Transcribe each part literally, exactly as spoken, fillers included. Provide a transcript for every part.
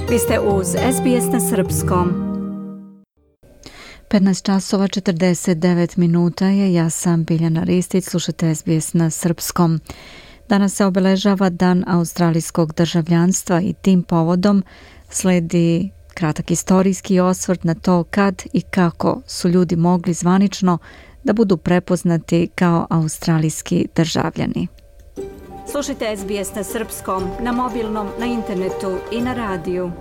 Vi ste uz S B S na srpskom. petnaest časova četrdeset devet minuta je, ja sam Biljana Ristić, slušate S B S na srpskom. Danas se obeležava Dan australijskog državljanstva i tim povodom sledi kratak istorijski osvrt na to kad i kako su ljudi mogli zvanično da budu prepoznati kao australijski državljani. Slušajte S B S na srpskom, na mobilnom, na internetu i na radiju.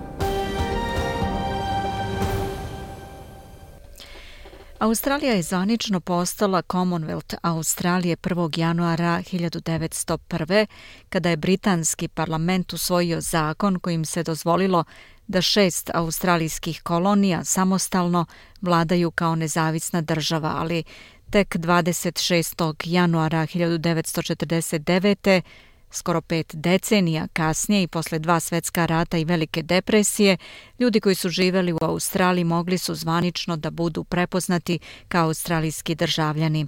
Australija je zvanično postala Commonwealth Australije prvog januara hiljadu devetsto prve. kada je britanski parlament usvojio zakon kojim se dozvolilo da šest australijskih kolonija samostalno vladaju kao nezavisna država, ali tek dvadeset šestog januara hiljadu devetsto četrdeset devete. skoro pet decenija kasnije i posle dva svetska rata i velike depresije, ljudi koji su živeli u Australiji mogli su zvanično da budu prepoznati kao australijski državljani.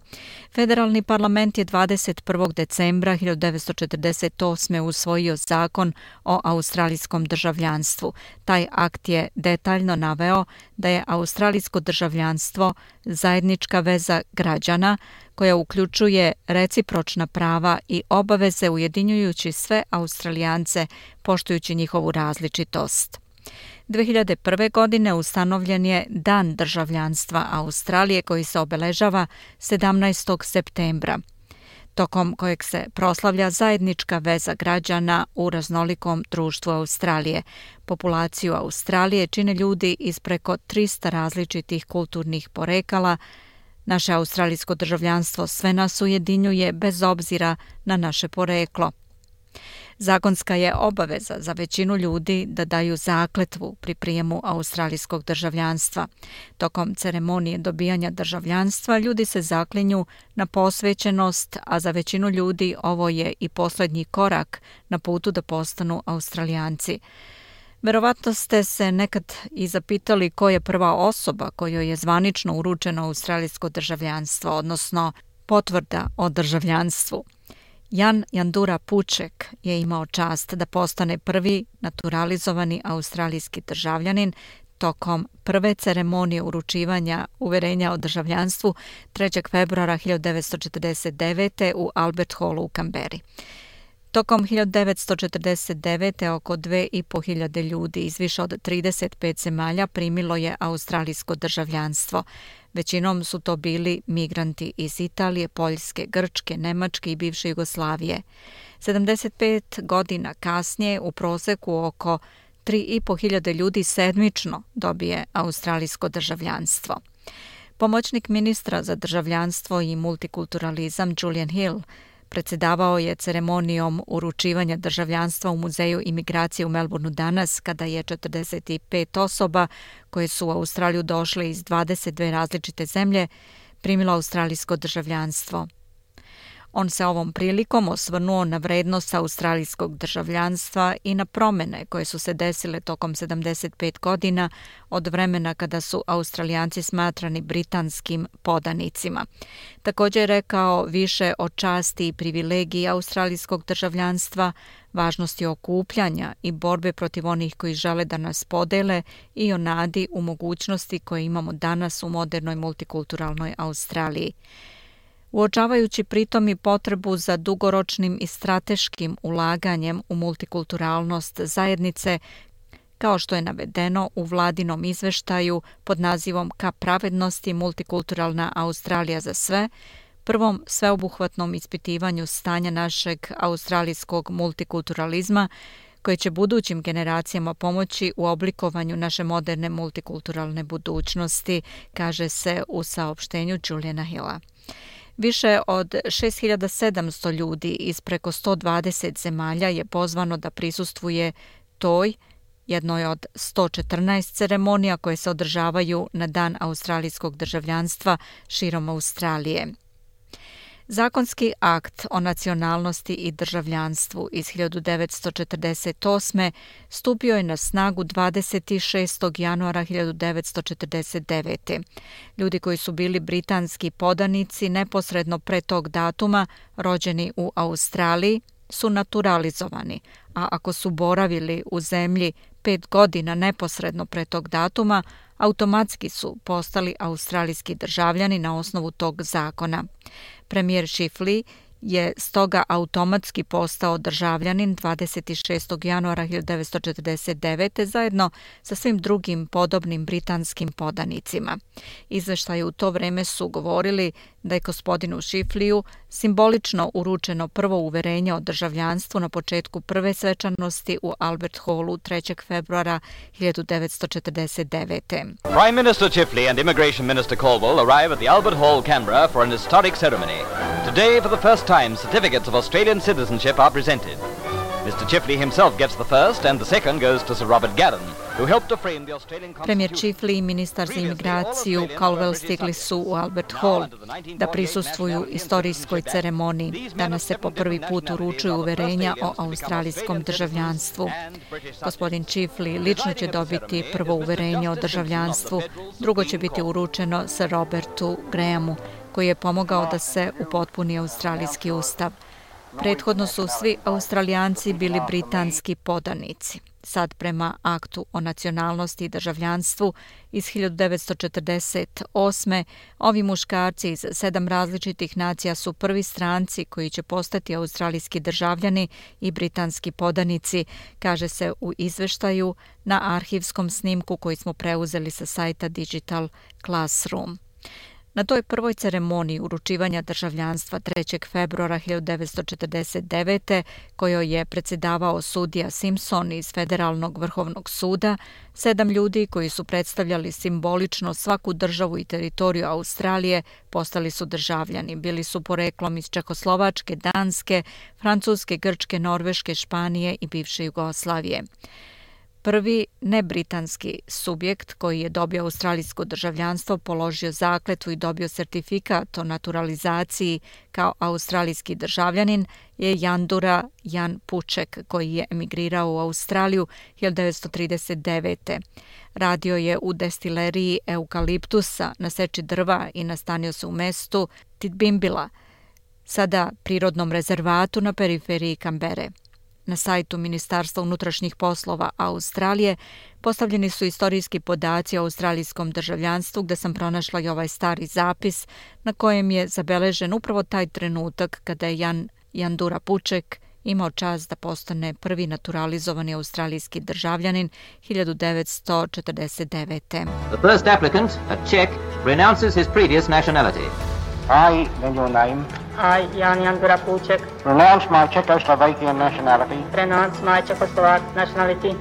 Federalni parlament je dvadeset prvog decembra hiljadu devetsto četrdeset osme. usvojio zakon o australijskom državljanstvu. Taj akt je detaljno naveo da je australijsko državljanstvo zajednička veza građana koja uključuje recipročna prava i obaveze ujedinjujući sve Australijance poštujući njihovu različitost. dve hiljade prve. godine ustanovljen je Dan državljanstva Australije koji se obeležava sedamnaestog septembra, tokom kojeg se proslavlja zajednička veza građana u raznolikom društvu Australije. Populaciju Australije čine ljudi iz preko trista različitih kulturnih porekala. Naše australijsko državljanstvo sve nas ujedinjuje bez obzira na naše poreklo. Zakonska je obaveza za većinu ljudi da daju zakletvu pri prijemu australijskog državljanstva. Tokom ceremonije dobijanja državljanstva ljudi se zaklinju na posvećenost, a za većinu ljudi ovo je i posljednji korak na putu da postanu Australijanci. Verovatno ste se nekad i zapitali ko je prva osoba kojoj je zvanično uručeno australijsko državljanstvo, odnosno potvrda o državljanstvu. Jan Jandura Puček je imao čast da postane prvi naturalizovani australijski državljanin tokom prve ceremonije uručivanja uverenja o državljanstvu trećeg februara hiljadu devetsto četrdeset devete. u Albert Hallu u Kamberi. Tokom hiljadu devetsto četrdeset devete. oko dve i po hiljade ljudi iz više od trideset pet zemalja primilo je australijsko državljanstvo. Većinom su to bili migranti iz Italije, Poljske, Grčke, Nemačke i bivše Jugoslavije. sedamdeset pet godina kasnije u proseku oko tri i po hiljade ljudi sedmično dobije australijsko državljanstvo. Pomoćnik ministra za državljanstvo i multikulturalizam Julian Hill predsjedavao je ceremonijom uručivanja državljanstva u Muzeju imigracije u Melbourneu danas, kada je četrdeset pet osoba koje su u Australiju došle iz dvadeset dve različite zemlje primilo australijsko državljanstvo. On se ovom prilikom osvrnuo na vrednost australijskog državljanstva i na promjene koje su se desile tokom sedamdeset pet godina od vremena kada su Australijanci smatrani britanskim podanicima. Također je rekao više o časti i privilegiji australijskog državljanstva, važnosti okupljanja i borbe protiv onih koji žele da nas podele i o nadi u mogućnosti koje imamo danas u modernoj multikulturalnoj Australiji. Uočavajući pritom i potrebu za dugoročnim i strateškim ulaganjem u multikulturalnost zajednice, kao što je navedeno u vladinom izveštaju pod nazivom Ka pravednosti multikulturalna Australija za sve, prvom sveobuhvatnom ispitivanju stanja našeg australijskog multikulturalizma, koje će budućim generacijama pomoći u oblikovanju naše moderne multikulturalne budućnosti, kaže se u saopštenju Juliana Hilla. Više od šest hiljada sedamsto ljudi iz preko sto dvadeset zemalja je pozvano da prisustvuje toj, jednoj od sto četrnaest ceremonija koje se održavaju na Dan australijskog državljanstva širom Australije. Zakonski akt o nacionalnosti i državljanstvu iz hiljadu devetsto četrdeset osme. stupio je na snagu dvadeset šestog januara hiljadu devetsto četrdeset devete. Ljudi koji su bili britanski podanici neposredno pre tog datuma rođeni u Australiji su naturalizovani, a ako su boravili u zemlji pet godina neposredno pre tog datuma, automatski su postali australijski državljani na osnovu tog zakona. Premijer Chifley je stoga automatski postao državljanin dvadeset šestog januara hiljadu devetsto četrdeset devete zajedno sa svim drugim podobnim britanskim podanicima. Izveštaji u to vreme su govorili da je gospodinu Chifleyu simbolično uručeno prvo uverenje o državljanstvu na početku prve svečanosti u Albert Hallu trećeg februara hiljadu devetsto četrdeset devete. Prime Minister Chifley and Immigration Minister Caldwell arrive at the Albert Hall, Canberra for an historic ceremony. Today, for the first time, certificates of Australian citizenship are presented. Mister Chifley himself gets the first and the second goes to Sir Robert Garran, who helped to frame the Australian Constitution. Premijer Chifley i ministar za imigraciju Caldwell stigli su u Albert Hall da prisustvuju istorijskoj ceremoniji. Danas se po prvi put uručuju uverenja o australijskom državljanstvu. Gospodin Chifley lično će dobiti prvo uverenje o državljanstvu, drugo će biti uručeno Sir Robertu Grahamu, koji je pomogao da se upotpuni australijski ustav. Prethodno su svi Australijanci bili britanski podanici. Sad prema aktu o nacionalnosti i državljanstvu iz hiljadu devetsto četrdeset osme ovi muškarci iz sedam različitih nacija su prvi stranci koji će postati australijski državljani i britanski podanici, kaže se u izveštaju na arhivskom snimku koji smo preuzeli sa sajta Digital Classroom. Na toj prvoj ceremoniji uručivanja državljanstva trećeg februara hiljadu devetsto četrdeset devete kojoj je predsjedavao sudija Simpson iz Federalnog vrhovnog suda, sedam ljudi koji su predstavljali simbolično svaku državu i teritoriju Australije postali su državljani. Bili su poreklom iz Čehoslovačke, Danske, Francuske, Grčke, Norveške, Španije i bivše Jugoslavije. Prvi nebritanski subjekt koji je dobio australijsko državljanstvo, položio zakletvu i dobio sertifikat o naturalizaciji kao australijski državljanin je Jandura Jan Puček, koji je emigrirao u Australiju hiljadu devetsto trideset devete. Radio je u destileriji eukaliptusa na seči drva i nastanio se u mestu Tidbimbila, sada prirodnom rezervatu na periferiji Kambere. Na sajtu Ministarstva unutrašnjih poslova Australije postavljeni su istorijski podaci o australijskom državljanstvu, gde sam pronašla i ovaj stari zapis na kojem je zabeležen upravo taj trenutak kada je Jan Jandura Puček imao čast da postane prvi naturalizovani australijski državljanin hiljadu devetsto četrdeset devete. The first applicant, a Czech, renounces his previous nationality. I, then your name. I, Jan Jandura Puček, Renounce my Czechoslovakian nationality. Renounce my Czechoslovak nationality.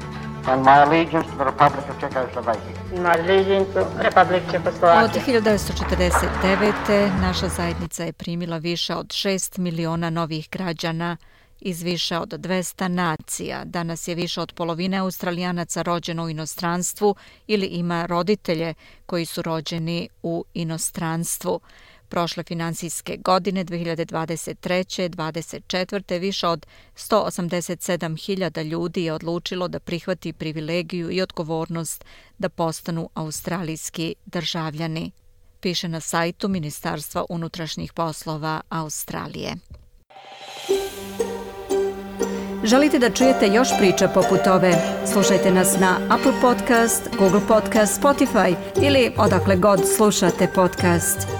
And my allegiance to the Republic of Czechoslovakia. My allegiance to Republic Czechoslovakia. Od hiljadu devetsto četrdeset devete naša zajednica je primila više od šest miliona novih građana iz više od dvesta nacija. Danas je više od polovine Australijanaca rođeno u inostranstvu ili ima roditelje koji su rođeni u inostranstvu. Prošle finansijske godine dve hiljade dvadeset treće dvadeset četvrte više od sto osamdeset sedam hiljada ljudi je odlučilo da prihvati privilegiju i odgovornost da postanu australijski državljani, piše na sajtu Ministarstva unutrašnjih poslova Australije. Želite da čujete još priča poput ove? Slušajte nas na Apple Podcast, Google Podcast, Spotify ili odakle god slušate podcast.